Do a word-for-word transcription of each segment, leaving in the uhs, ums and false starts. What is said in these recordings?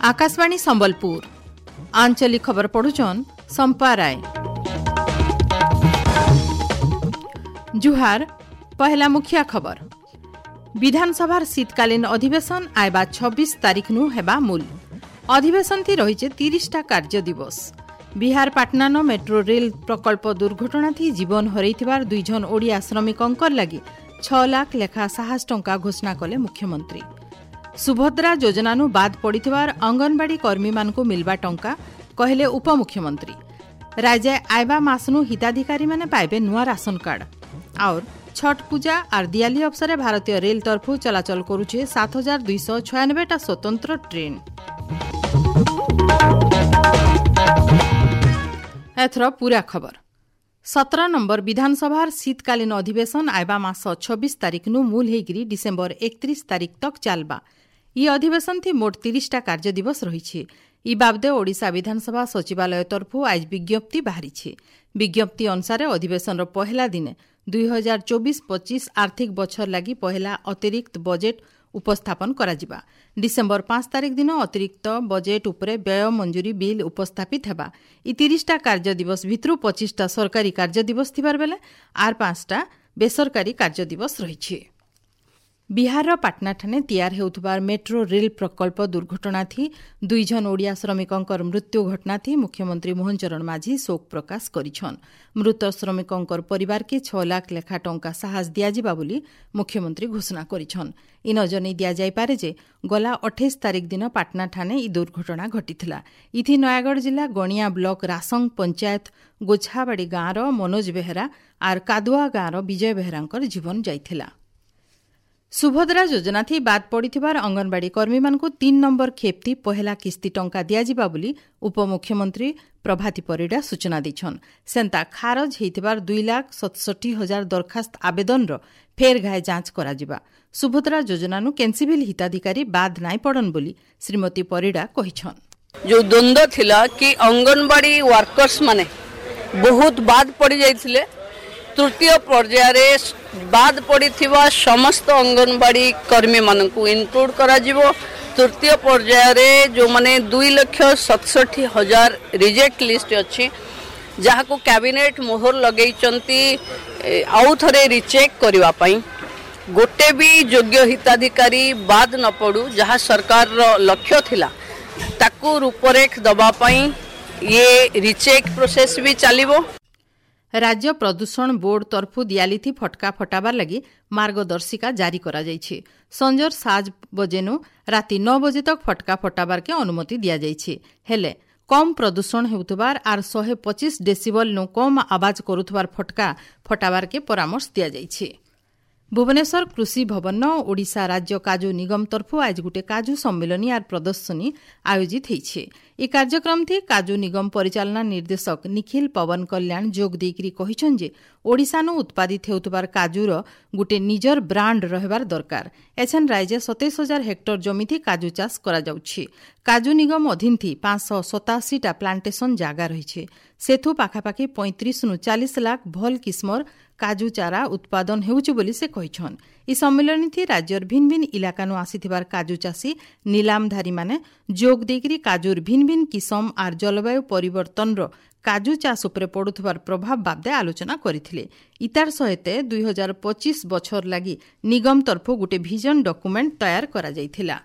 ଆକାଶବାଣୀ ସମ୍ବଲପୁର ଆଞ୍ଚଳିକ ଖବର ପଢୁଛନ୍ ସମ୍ପା ରାୟ। ଜୁହାର। ପହେଲା ମୁଖିଆ ଖବର। ବିଧାନସଭାର ଶୀତକାଳୀନ ଅଧିବେଶନ ଆଇବା ଛବିଶ ତାରିଖନୁ ହେବା ମୂଲ। ଅଧିବେଶନଥି ରହିଛେ ତିରିଶଟା କାର୍ଯ୍ୟ ଦିବସ। ବିହାର ପାଟନାନ ମେଟ୍ରୋ ରେଲ୍ ପ୍ରକଳ୍ପ ଦୁର୍ଘଟଣାଥି ଜୀବନ ହରେଇଥିବାର ଦୁଇଜଣ ଓଡ଼ିଆ ଶ୍ରମିକଙ୍କର ଲାଗି ଛଅ ଲାଖ ଲେଖା ସାହସ ଟଙ୍କା ଘୋଷଣା କଲେ ମୁଖ୍ୟମନ୍ତ୍ରୀ। ସୁଭଦ୍ରା ଯୋଜନାନୁ ବାଦ୍ ପଡ଼ିଥିବାର ଅଙ୍ଗନବାଡ଼ି କର୍ମୀମାନଙ୍କୁ ମିଲବା ଟଙ୍କା କହିଲେ ଉପମୁଖ୍ୟମନ୍ତ୍ରୀ। ରାଜ୍ୟ ଆଇବା ମାସନୁ ହିତାଧିକାରୀମାନେ ପାଇବେ ନୂଆ ରାସନ କାର୍ଡ। ଆଉର୍ ଛଟ୍ ପୂଜା ଆର୍ ଦିଆଲି ଅବସରେ ଭାରତୀୟ ରେଲ୍ ତରଫରୁ ଚଳାଚଳ କରୁଛେ ସାତ ହଜାର ଦୁଇଶହ ଛୟାନବେଟା ସ୍ୱତନ୍ତ୍ର ଟ୍ରେନ୍। ଏଥର ପୁରା ଖବର। ସତର ନମ୍ବର ବିଧାନସଭାର ଶୀତକାଳୀନ ଅଧିବେଶନ ଆଇବା ମାସ ଛବିଶ ତାରିଖନୁ ମୂଲ ହେଇକିରି ଡିସେମ୍ବର ଏକତ୍ରିଶ ତାରିଖ ତକ୍ ଚାଲବା। ଇ ଅଧିବେଶନଥି ମୋଟ ତିରିଶଟା କାର୍ଯ୍ୟ ଦିବସ ରହିଛି। ଇ ବାବଦେ ଓଡ଼ିଶା ବିଧାନସଭା ସଚିବାଳୟ ତରଫରୁ ଆଜ ବିଜ୍ଞପ୍ତି ବାହାରିଛି। ବିଜ୍ଞପ୍ତି ଅନୁସାରେ ଅଧିବେଶନର ପହେଲା ଦିନେ ଦୁଇ ହଜାର ଚବିଶ ପଚିଶ ଆର୍ଥିକ ବଛର ଲାଗି ପହେଲା ଅତିରିକ୍ତ ବଜେଟ୍ ଉପସ୍ଥାପନ କରାଯିବା। ଡିସେମ୍ବର ପାଞ୍ଚ ତାରିଖ ଦିନ ଅତିରିକ୍ତ ବଜେଟ୍ ଉପରେ ବ୍ୟୟ ମଞ୍ଜୁରୀ ବିଲ୍ ଉପସ୍ଥାପିତ ହେବା। ଇ ତିରିଶଟା କାର୍ଯ୍ୟ ଦିବସ ଭିତରୁ ପଚିଶଟା ସରକାରୀ କାର୍ଯ୍ୟ ଦିବସ ଥିବାର ବେଲେ ଆର୍ ପାଞ୍ଚଟା ବେସରକାରୀ କାର୍ଯ୍ୟ ଦିବସ ରହିଛି। ବିହାରର ପାଟନାଠାନେ ତିଆର ହେଉଥିବାର ମେଟ୍ରୋ ରେଲ୍ ପ୍ରକଳ୍ପ ଦୁର୍ଘଟଣାଥି ଦୁଇଜଣ ଓଡ଼ିଆ ଶ୍ରମିକଙ୍କର ମୃତ୍ୟୁ ଘଟଣାଥି ମୁଖ୍ୟମନ୍ତ୍ରୀ ମୋହନ ଚରଣ ମାଝୀ ଶୋକ ପ୍ରକାଶ କରିଛନ୍। ମୃତ ଶ୍ରମିକଙ୍କର ପରିବାରକେ ଛଅ ଲାଖ ଲେଖା ଟଙ୍କା ସାହସ ଦିଆଯିବା ବୋଲି ମୁଖ୍ୟମନ୍ତ୍ରୀ ଘୋଷଣା କରିଛନ୍। ଇ ନଜନେଇ ଦିଆଯାଇପାରେ ଯେ ଗଲା ଅଠେଇଶ ତାରିଖ ଦିନ ପାଟନାଠାନେ ଇ ଦୁର୍ଘଟଣା ଘଟିଥିଲା। ଇଥି ନୟାଗଡ଼ ଜିଲ୍ଲା ଗଣିଆ ବ୍ଲକ ରାସଙ୍ଗ ପଞ୍ଚାୟତ ଗୋଛାବାଡ଼ି ଗାଁର ମନୋଜ ବେହେରା ଆର୍ କାଦୁଆ ଗାଁର ବିଜୟ ବେହେରାଙ୍କର ଜୀବନ ଯାଇଥିଲା। ସୁଭଦ୍ରା ଯୋଜନାଥି ବାଦ୍ ପଡ଼ିଥିବାର ଅଙ୍ଗନବାଡ଼ି କର୍ମୀମାନଙ୍କୁ ତିନି ନମ୍ବର ଖେପ୍ତି ପହେଲା କିସ୍ତି ଟଙ୍କା ଦିଆଯିବା ବୋଲି ଉପମୁଖ୍ୟମନ୍ତ୍ରୀ ପ୍ରଭାତୀ ପରିଡ଼ା ସୂଚନା ଦେଇଛନ୍। ସେନ୍ତା ଖାରଜ ହେଇଥିବାର ଦୁଇ ଲାଖ ସତଷଠି ହଜାର ଦରଖାସ୍ତ ଆବେଦନର ଫେର୍ ଘାଏ ଯାଞ୍ଚ କରାଯିବା। ସୁଭଦ୍ରା ଯୋଜନାନୁ କେନ୍ସିଭିଲ୍ ହିତାଧିକାରୀ ବାଦ୍ ନାଇଁ ପଡ଼ନ୍ ବୋଲି ଶ୍ରୀମତୀ ପରିଡ଼ା କହିଛନ୍। ଯେଉଁ ଦ୍ୱନ୍ଦ୍ୱ ଥିଲା କି ଅଙ୍ଗନବାଡ଼ି ୱାର୍କର୍ସ ମାନେ ବହୁତ ବାଦ୍ ପଡ଼ିଯାଇଥିଲେ, ତୃତୀୟ ପର୍ଯ୍ୟାୟରେ ବାଦ୍ ପଡ଼ିଥିବା ସମସ୍ତ ଅଙ୍ଗନବାଡ଼ି କର୍ମୀମାନଙ୍କୁ ଇନକ୍ଲୁଡ୍ କରାଯିବ। ତୃତୀୟ ପର୍ଯ୍ୟାୟରେ ଯେଉଁମାନେ ଦୁଇ ଲକ୍ଷ ସତଷଠି ହଜାର ରିଜେକ୍ଟ ଲିଷ୍ଟ ଅଛି, ଯାହାକୁ କ୍ୟାବିନେଟ୍ ମୋହର ଲଗେଇଛନ୍ତି ଆଉ ଥରେ ରିଚେକ୍ କରିବା ପାଇଁ, ଗୋଟେ ବି ଯୋଗ୍ୟ ହିତାଧିକାରୀ ବାଦ୍ ନ ପଡ଼ୁ, ଯାହା ସରକାରର ଲକ୍ଷ୍ୟ ଥିଲା ତାକୁ ରୂପରେଖ ଦେବା ପାଇଁ ଇଏ ରିଚେକ୍ ପ୍ରୋସେସ୍ ବି ଚାଲିବ। ରାଜ୍ୟ ପ୍ରଦୂଷଣ ବୋର୍ଡ ତରଫୁ ଦିଆଲିଥି ଫଟକା ଫଟାବାର ଲାଗି ମାର୍ଗଦର୍ଶିକା ଜାରି କରାଯାଇଛି। ସଞ୍ଜର ସାତ ବଜେନୁ ରାତି ନଅ ବଜେ ତକ୍ ଫଟକା ଫଟାବାରକେ ଅନୁମତି ଦିଆଯାଇଛି। ହେଲେ କମ୍ ପ୍ରଦୂଷଣ ହେଉଥିବାର ଆର୍ ଶହେ ପଚିଶ ଡେସିବଲ୍ନୁ କମ୍ ଆବାଜ କରୁଥିବାର ଫଟକା ଫଟାବାରକେ ପରାମର୍ଶ ଦିଆଯାଇଛି। ଭୁବନେଶ୍ୱର କୃଷି ଭବନ ଓଡ଼ିଶା ରାଜ୍ୟ କାଜୁ ନିଗମ ତରଫୁ ଆଜ ଗୋଟିଏ କାଜୁ ସମ୍ମିଳନୀ ଆର୍ ପ୍ରଦର୍ଶନୀ ଆୟୋଜିତ ହେଇଛି। ଏହି କାର୍ଯ୍ୟକ୍ରମଥି କାଜୁ ନିଗମ ପରିଚାଳନା ନିର୍ଦ୍ଦେଶକ ନିଖିଲ ପବନ କଲ୍ୟାଣ ଯୋଗ ଦେଇକରି କହିଛନ୍ ଯେ ଓଡ଼ିଶାନୁ ଉତ୍ପାଦିତ ହେଉଥିବାର କାଜୁର ଗୋଟିଏ ନିଜର ବ୍ରାଣ୍ଡ ରହିବାର ଦରକାର। ଏଛେନ୍ ରାଜ୍ୟ ସତେଇଶ ହଜାର ହେକ୍ଟର ଜମିଥି କାଜୁ ଚାଷ କରାଯାଉଛି। କାଜୁ ନିଗମ ଅଧୀନଥି ପାଞ୍ଚଶହ ସତାଅଶୀଟା ପ୍ଲାଣ୍ଟେସନ ଜାଗା ରହିଛି। ସେଥୁ ପାଖାପାଖି ପଇଁତିରିଶରୁ ଚାଳିଶ ଲାଖ ଭଲ କିସ୍ମର କାଜୁ ଚାରା ଉତ୍ପାଦନ ହେଉଛି ବୋଲି ସେ କହିଛନ୍। ଏହି ସମ୍ମିଳନୀଥି ରାଜ୍ୟର ଭିନ୍ ଭିନ୍ ଇଲାକାନୁ ଆସିଥିବାର କାଜୁ ଚାଷୀ ନିଲାମଧାରୀମାନେ ଯୋଗ ଦେଇକରି କାଜୁର ଭିନ୍ ଭିନ୍ କିସମ ଆର୍ ଜଳବାୟୁ ପରିବର୍ତ୍ତନର କାଜୁ ଚାଷ ଉପରେ ପଡ଼ୁଥିବାର ପ୍ରଭାବ ବାବଦେ ଆଲୋଚନା କରିଥିଲେ। ଇତାର ସହିତ ଦୁଇ ହଜାର ପଚିଶ ବଛର ଲାଗି ନିଗମ ତରଫରୁ ଗୋଟିଏ ଭିଜନ ଡକୁମେଣ୍ଟ ତୟାର କରାଯାଇଥିଲା।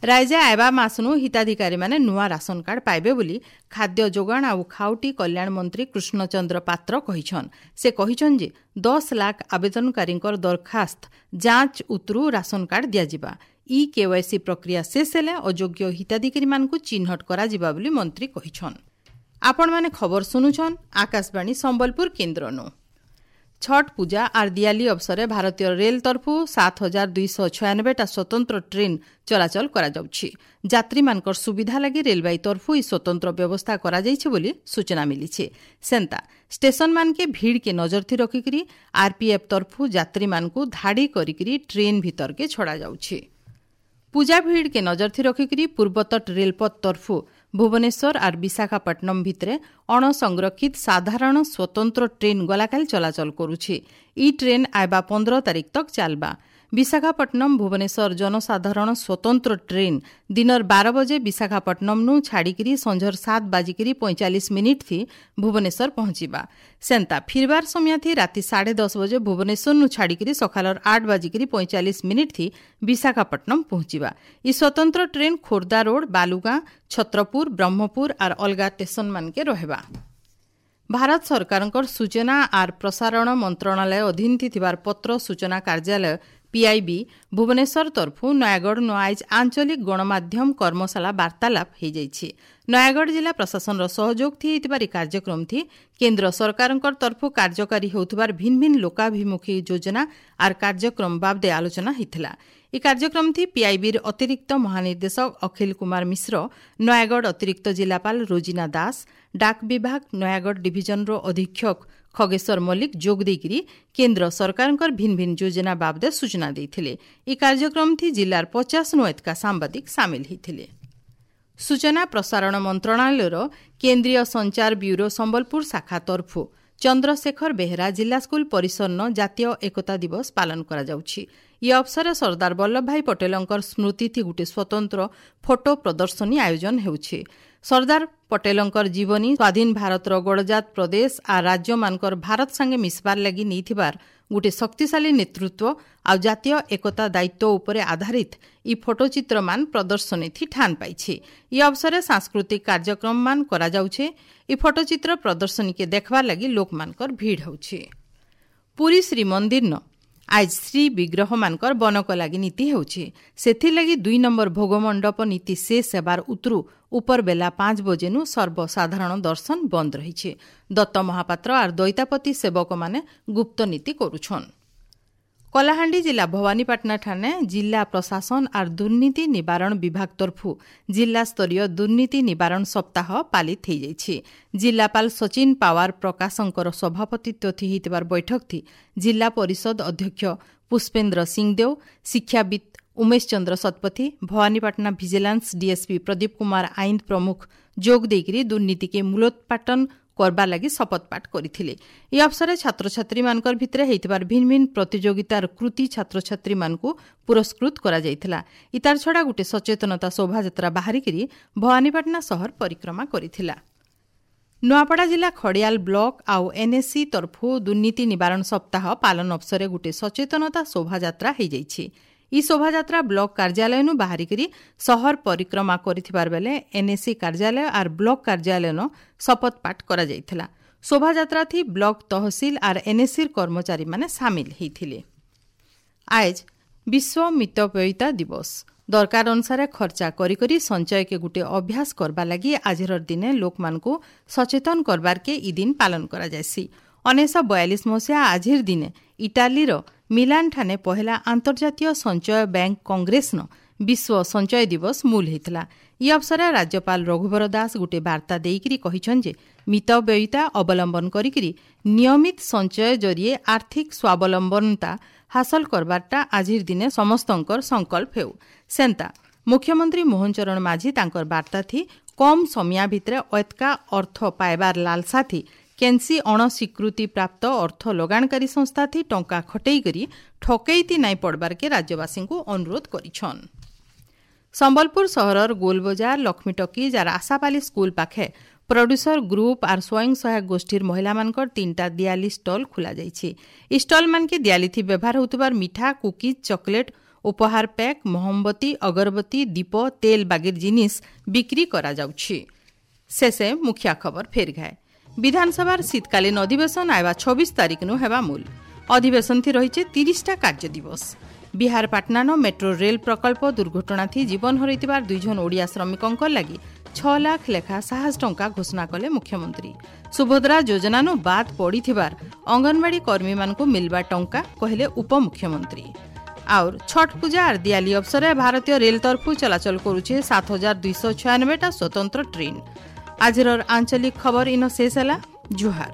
ରାଜ୍ୟ ଆଇବା ମାସନୁ ହିତାଧିକାରୀମାନେ ନୂଆ ରାସନ କାର୍ଡ ପାଇବେ ବୋଲି ଖାଦ୍ୟ ଯୋଗାଣ ଆଉ ଖାଉଟି କଲ୍ୟାଣ ମନ୍ତ୍ରୀ କୃଷ୍ଣଚନ୍ଦ୍ର ପାତ୍ର କହିଛନ୍। ସେ କହିଛନ୍ ଯେ ଦଶ ଲାଖ ଆବେଦନକାରୀଙ୍କର ଦରଖାସ୍ତ ଯାଞ୍ଚ ଉତରୁ ରାସନ କାର୍ଡ ଦିଆଯିବା। ଇ କେୱାଇସି ପ୍ରକ୍ରିୟା ଶେଷ ହେଲେ ଅଯୋଗ୍ୟ ହିତାଧିକାରୀମାନଙ୍କୁ ଚିହ୍ନଟ କରାଯିବା ବୋଲି ମନ୍ତ୍ରୀ କହିଛନ୍। ଆପଣମାନେ ଖବର ଶୁଣୁଛନ୍ ଆକାଶବାଣୀ ସମ୍ବଲପୁର କେନ୍ଦ୍ରନୁ। ଛଟ୍ ପୂଜା ଆର୍ ଦିଆଲି ଅବସରେ ଭାରତୀୟ ରେଲ୍ ତରଫରୁ ସାତ ହଜାର ଦୁଇଶହ ଛୟାନବେଟା ସ୍ୱତନ୍ତ୍ର ଟ୍ରେନ୍ ଚଳାଚଳ କରାଯାଉଛି। ଯାତ୍ରୀମାନଙ୍କର ସୁବିଧା ଲାଗି ରେଲବାଇ ତରଫରୁ ଏହି ସ୍ୱତନ୍ତ୍ର ବ୍ୟବସ୍ଥା କରାଯାଇଛି ବୋଲି ସୂଚନା ମିଳିଛି। ସେନ୍ତା ଷ୍ଟେସନମାନକେ ଭିଡ଼କେ ନଜରଥି ରଖିକରି ଆର୍ପିଏଫ୍ ତରଫରୁ ଯାତ୍ରୀମାନଙ୍କୁ ଧାଡ଼ି କରିକରି ଟ୍ରେନ୍ ଭିତରକେ ଛଡ଼ାଯାଉଛି। ପୂଜା ଭିଡ଼କେ ନଜରଥି ରଖିକରି ପୂର୍ବତଟ ରେଲପଥ ତରଫରୁ ଭୁବନେଶ୍ୱର ଆର୍ ବିଶାଖାପଟ୍ଟନମ ଭିତରେ ଅଣସଂରକ୍ଷିତ ସାଧାରଣ ସ୍ୱତନ୍ତ୍ର ଟ୍ରେନ୍ ଗଲାକାଲି ଚଳାଚଳ କରୁଛି। ଇ ଟ୍ରେନ୍ ଆଇବା ପନ୍ଦର ତାରିଖ ତକ୍ ଚାଲବା। ବିଶାଖାପଟ୍ଟନମ ଭୁବନେଶ୍ୱର ଜନସାଧାରଣ ସ୍ୱତନ୍ତ୍ର ଟ୍ରେନ୍ ଦିନର ବାର ବଜେ ବିଶାଖାପଟ୍ଟନମନୁ ଛାଡ଼ିକିରି ସଞ୍ଜର ସାତ ବାଜିକିରି ପଇଁଚାଳିଶ ମିନିଟ୍ ଥି ଭୁବନେଶ୍ୱର ପହଞ୍ଚିବା। ସେନ୍ତା ଫିରବାର ସମୟ ଥି ରାତି ସାଢ଼େ ଦଶ ବଜେ ଭୁବନେଶ୍ୱରନୁ ଛାଡ଼ିକିରି ସକାଳର ଆଠ ବାଜିକିରି ପଇଁଚାଳିଶ ମିନିଟ୍ ଥି ବିଶାଖାପଟ୍ଟନମ ପହଞ୍ଚିବା। ଇ ସ୍ୱତନ୍ତ୍ର ଟ୍ରେନ୍ ଖୋର୍ଦ୍ଧା ରୋଡ୍, ବାଲୁଗାଁ, ଛତ୍ରପୁର, ବ୍ରହ୍ମପୁର ଆର୍ ଅଲଗା ଷ୍ଟେସନ ମାନକେ ରହିବା। ଭାରତ ସରକାରଙ୍କର ସୂଚନା ଆର୍ ପ୍ରସାରଣ ମନ୍ତ୍ରଣାଳୟ ଅଧୀନ ଥିବାର ପତ୍ର ସୂଚନା କାର୍ଯ୍ୟାଳୟ ପିଆଇବି ଭୁବନେଶ୍ୱର ତରଫୁ ନୟାଗଡ଼ ନ ଆଇଜ ଆଞ୍ଚଳିକ ଗଣମାଧ୍ୟମ କର୍ମଶାଳା ବାର୍ତ୍ତାଳାପ ହୋଇଯାଇଛି। ନୟାଗଡ଼ ଜିଲ୍ଲା ପ୍ରଶାସନର ସହଯୋଗ ଥି ହେଇଥିବାର ଏହି କାର୍ଯ୍ୟକ୍ରମ ଥି କେନ୍ଦ୍ର ସରକାରଙ୍କର ତରଫୁ କାର୍ଯ୍ୟକାରୀ ହେଉଥିବାର ଭିନ୍ନ ଭିନ୍ନ ଲୋକାଭିମୁଖୀ ଯୋଜନା ଆର୍ କାର୍ଯ୍ୟକ୍ରମ ବାବଦେ ଆଲୋଚନା ହୋଇଥିଲା। ଏହି କାର୍ଯ୍ୟକ୍ରମ ଥି ପିଆଇବିର ଅତିରିକ୍ତ ମହାନିର୍ଦ୍ଦେଶକ ଅଖିଲ କୁମାର ମିଶ୍ର, ନୟାଗଡ଼ ଅତିରିକ୍ତ ଜିଲ୍ଲାପାଳ ରୋଜିନା ଦାସ, ଡାକ ବିଭାଗ ନୟାଗଡ଼ ଡିଭିଜନର ଅଧୀକ୍ଷକ ଖଗେଶ୍ୱର ମଲ୍ଲିକ ଯୋଗ ଦେଇକରି କେନ୍ଦ୍ର ସରକାରଙ୍କର ଭିନ୍ନ ଭିନ୍ନ ଯୋଜନା ବାବଦେ ସୂଚନା ଦେଇଥିଲେ। ଏହି କାର୍ଯ୍ୟକ୍ରମ ଥି ଜିଲ୍ଲାର ପଚାଶ ନୁ ଏତକା ସାମ୍ବାଦିକ ସାମିଲ ହୋଇଥିଲେ। ସୂଚନା ପ୍ରସାରଣ ମନ୍ତ୍ରଣାଳୟର କେନ୍ଦ୍ରୀୟ ସଞ୍ଚାର ବ୍ୟୁରୋ ସମ୍ବଲପୁର ଶାଖା ତରଫୁ ଚନ୍ଦ୍ରଶେଖର ବେହେରା ଜିଲ୍ଲା ସ୍କୁଲ ପରିସରନ ଜାତୀୟ ଏକତା ଦିବସ ପାଳନ କରାଯାଉଛି। ଇ ଅବସରରେ ସର୍ଦ୍ଦାର ବଲ୍ଲଭଭାଇ ପଟେଲଙ୍କର ସ୍ମୃତିଥି ଗୋଟିଏ ସ୍ୱତନ୍ତ୍ର ଫଟୋ ପ୍ରଦର୍ଶନୀ ଆୟୋଜନ ହେଉଛି। ସର୍ଦ୍ଦାର ପଟେଲଙ୍କର ଜୀବନୀ ସ୍ୱାଧୀନ ଭାରତର ଗଡ଼ଜାତ ପ୍ରଦେଶ ଆର୍ ରାଜ୍ୟମାନଙ୍କର ଭାରତ ସାଙ୍ଗେ ମିଶବାର ଲାଗି ନେଇଥିବାର ଗୋଟିଏ ଶକ୍ତିଶାଳୀ ନେତୃତ୍ୱ ଆଉ ଜାତୀୟ ଏକତା ଦାୟିତ୍ୱ ଉପରେ ଆଧାରିତ ଇ ଫଟୋଚିତ୍ରମାନ ପ୍ରଦର୍ଶନୀଥି ଠାନ ପାଇଛି। ଇ ଅବସରରେ ସାଂସ୍କୃତିକ କାର୍ଯ୍ୟକ୍ରମମାନ କରାଯାଉଛେ। ଇ ଫଟୋଚିତ୍ର ପ୍ରଦର୍ଶନୀକେ ଦେଖବାର ଲାଗି ଲୋକମାନଙ୍କର ଭିଡ଼ ହେଉଛି। ପୁରୀ ଶ୍ରୀମନ୍ଦିରନ ଆଜ ଶ୍ରୀ ବିଗ୍ରହମାନଙ୍କର ବନକ ଲାଗି ନୀତି ହେଉଛି। ସେଥିର୍ଲାଗି ଦୁଇ ନମ୍ବର ଭୋଗମଣ୍ଡପ ନୀତି ଶେଷ ହେବାର ଉତରୁ ଉପର ବେଲା ପାଞ୍ଚ ବଜେନୁ ସର୍ବସାଧାରଣ ଦର୍ଶନ ବନ୍ଦ ରହିଛି। ଦତ୍ତ ମହାପାତ୍ର ଆର୍ ଦୈତାପତି ସେବକମାନେ ଗୁପ୍ତ ନୀତି କରୁଛନ୍। କଳାହାଣ୍ଡି ଜିଲ୍ଲା ଭବାନୀପାଟଣା ଠାନେ ଜିଲ୍ଲା ପ୍ରଶାସନ ଆର୍ ଦୁର୍ନୀତି ନିବାରଣ ବିଭାଗ ତରଫୁ ଜିଲ୍ଲାସ୍ତରୀୟ ଦୁର୍ନୀତି ନିବାରଣ ସପ୍ତାହ ପାଳିତ ହୋଇଯାଇଛି। ଜିଲ୍ଲାପାଳ ସଚିନ ପାୱାର ପ୍ରକାଶଙ୍କର ସଭାପତିତ୍ୱ ଥି ହେଇଥିବାର ବୈଠକ ଥି ଜିଲ୍ଲା ପରିଷଦ ଅଧ୍ୟକ୍ଷ ପୁଷ୍ପେନ୍ଦ୍ର ସିଂଦେଓ, ଶିକ୍ଷାବିତ୍ ଉମେଶ ଚନ୍ଦ୍ର ଶତପଥୀ, ଭବାନୀପାଟଣା ଭିଜିଲାନ୍ସ ଡିଏସ୍ପି ପ୍ରଦୀପ କୁମାର ଆଇନ୍ଦ ପ୍ରମୁଖ ଯୋଗ ଦେଇକରି ଦୁର୍ନୀତିକେ ମୂଳୋତ୍ପାଟନ କରବା ଲାଗି ଶପଥପାଠ କରିଥିଲେ। ଏହି ଅବସରରେ ଛାତ୍ରଛାତ୍ରୀମାନଙ୍କର ଭିତରେ ହେଇଥିବାର ଭିନ୍ନ ଭିନ୍ନ ପ୍ରତିଯୋଗିତାର କୃତି ଛାତ୍ରଛାତ୍ରୀମାନଙ୍କୁ ପୁରସ୍କୃତ କରାଯାଇଥିଲା। ଇତାର ଛଡ଼ା ଗୋଟେ ସଚେତନତା ଶୋଭାଯାତ୍ରା ବାହାରିକିରି ଭବାନୀପାଟଣା ସହର ପରିକ୍ରମା କରିଥିଲା। ନୂଆପଡ଼ା ଜିଲ୍ଲା ଖଡ଼ିଆଲ ବ୍ଲକ ଆଉ ଏନ୍ଏସି ତରଫୁ ଦୁର୍ନୀତି ନିବାରଣ ସପ୍ତାହ ପାଳନ ଅବସରରେ ଗୋଟେ ସଚେତନତା ଶୋଭାଯାତ୍ରା ହୋଇଯାଇଛି। ଇ ଶୋଭାଯାତ୍ରା ବ୍ଲକ କାର୍ଯ୍ୟାଳୟନୁ ବାହାରିକିରି ସହର ପରିକ୍ରମା କରିଥିବାର ବେଲେ ଏନ୍ଏସି କାର୍ଯ୍ୟାଳୟ ଆର୍ ବ୍ଲକ କାର୍ଯ୍ୟାଳୟନ ଶପଥପାଠ କରାଯାଇଥିଲା। ଶୋଭାଯାତ୍ରା ଥି ବ୍ଲକ, ତହସିଲ ଆର୍ ଏନ୍ଏସିର କର୍ମଚାରୀମାନେ ସାମିଲ ହୋଇଥିଲେ। ଆଏଜ ବିଶ୍ୱ ମିତବ୍ୟୟିତା ଦିବସ। ଦରକାର ଅନୁସାରେ ଖର୍ଚ୍ଚା କରି କରି ସଞ୍ଚୟକେ ଗୁଟେ ଅଭ୍ୟାସ କରବା ଲାଗି ଆଜିର ଦିନେ ଲୋକମାନଙ୍କୁ ସଚେତନ କରବାରକେ ଇ ଦିନ ପାଳନ କରାଯାଏସି। ଉଣେଇଶହ ବୟାଳିଶ ମସିହା ଆଜିର ଦିନେ ଇଟାଲୀର ମିଲାନ ଠାନେ ପହେଲା ଆନ୍ତର୍ଜାତୀୟ ସଞ୍ଚୟ ବ୍ୟାଙ୍କ କଂଗ୍ରେସନ ବିଶ୍ୱ ସଞ୍ଚୟ ଦିବସ ମୂଲ ହେଇଥିଲା। ଇ ଅବସରରେ ରାଜ୍ୟପାଳ ରଘୁବର ଦାସ ଗୋଟିଏ ବାର୍ତ୍ତା ଦେଇକରି କହିଛନ୍ତି ଯେ ମିତବ୍ୟୟିତା ଅବଲମ୍ବନ କରିକିରି ନିୟମିତ ସଞ୍ଚୟ ଜରିଏ ଆର୍ଥିକ ସ୍ୱାବଲମ୍ବନତା ହାସଲ କରବାରଟା ଆଜିର ଦିନେ ସମସ୍ତଙ୍କର ସଂକଳ୍ପ ହେଉ। ସେନ୍ତା ମୁଖ୍ୟମନ୍ତ୍ରୀ ମୋହନ ଚରଣ ମାଝୀ ତାଙ୍କର ବାର୍ତ୍ତା ଥି କମ୍ ସମିଆ ଭିତରେ ଅଏତକା ଅର୍ଥ ପାଇବାର ଲାଲସା ଥି କେନ୍ସି ଅଣସ୍ୱୀକୃତି ପ୍ରାପ୍ତ ଅର୍ଥ ଲଗାଣକାରୀ ସଂସ୍ଥା ଥି ଟଙ୍କା ଖଟେଇକରି ଠକେଇତି ନାଇଁ ପଡ଼ବାରକେ ରାଜ୍ୟବାସୀଙ୍କୁ ଅନୁରୋଧ କରିଛନ୍। ସମ୍ବଲପୁର ସହରର ଗୋଲବଜାର, ଲକ୍ଷ୍ମୀ ଟକିଜ୍ ଆର୍ ଆଶାପାଲି ସ୍କୁଲ ପାଖେ ପ୍ରଡ୍ୟୁସର ଗ୍ରୁପ୍ ଆର୍ ସ୍ୱୟଂ ସହାୟକ ଗୋଷ୍ଠୀର ମହିଳାମାନଙ୍କର ତିନିଟା ଦିଆଲି ଷ୍ଟଲ୍ ଖୋଲାଯାଇଛି। ଇ ଷ୍ଟଲ୍ମାନକେ ଦିଆଲିଥି ବ୍ୟବହାର ହେଉଥିବାର ମିଠା, କୁକିଜ୍, ଚକୋଲେଟ୍, ଉପହାର ପ୍ୟାକ୍, ମହମବତୀ, ଅଗରବତୀ, ଦୀପ, ତେଲ ବାଗିର ଜିନିଷ ବିକ୍ରି କରାଯାଉଛି। ଶେଷେ ମୁଖିଆ ଖବର ଫେର ଘାଏ। ବିଧାନସଭାର ଶୀତକାଳୀନ ଅଧିବେଶନ ଆଇବା ଛବିଶ ତାରିଖନୁ ହେବା ମୂଲ। ଅଧିବେଶନ ଥି ରହିছে ତିରିଶଟା କାର୍ଯ୍ୟ ଦିବସ। ବିହାର ପାଟନାନ ମେଟ୍ରୋ ରେଲ୍ ପ୍ରକଳ୍ପ ଦୁର୍ଘଟଣା ଥି ଜୀବନ ହରାଇଥିବାର ଦୁଇଜଣ ଓଡ଼ିଆ ଶ୍ରମିକଙ୍କ ଲାଗି ଛଅ ଲାଖ ଲେଖା ସାହସ ଟଙ୍କା ଘୋଷଣା କଲେ ମୁଖ୍ୟମନ୍ତ୍ରୀ। ସୁଭଦ୍ରା ଯୋଜନାନୁ ବାଦ୍ ପଡ଼ିଥିବାର ଅଙ୍ଗନବାଡ଼ି କର୍ମୀମାନଙ୍କୁ ମିଲବା ଟଙ୍କା କହିଲେ ଉପମୁଖ୍ୟମନ୍ତ୍ରୀ। और छठ पूजा और दियाली अवसर भारतीय रेल तरफू चलाचल करुचे सात हजार दुईश छयानबेटा स्वतंत्र ट्रेन। आजर आंचलिक खबर इन शेष है। जुहार।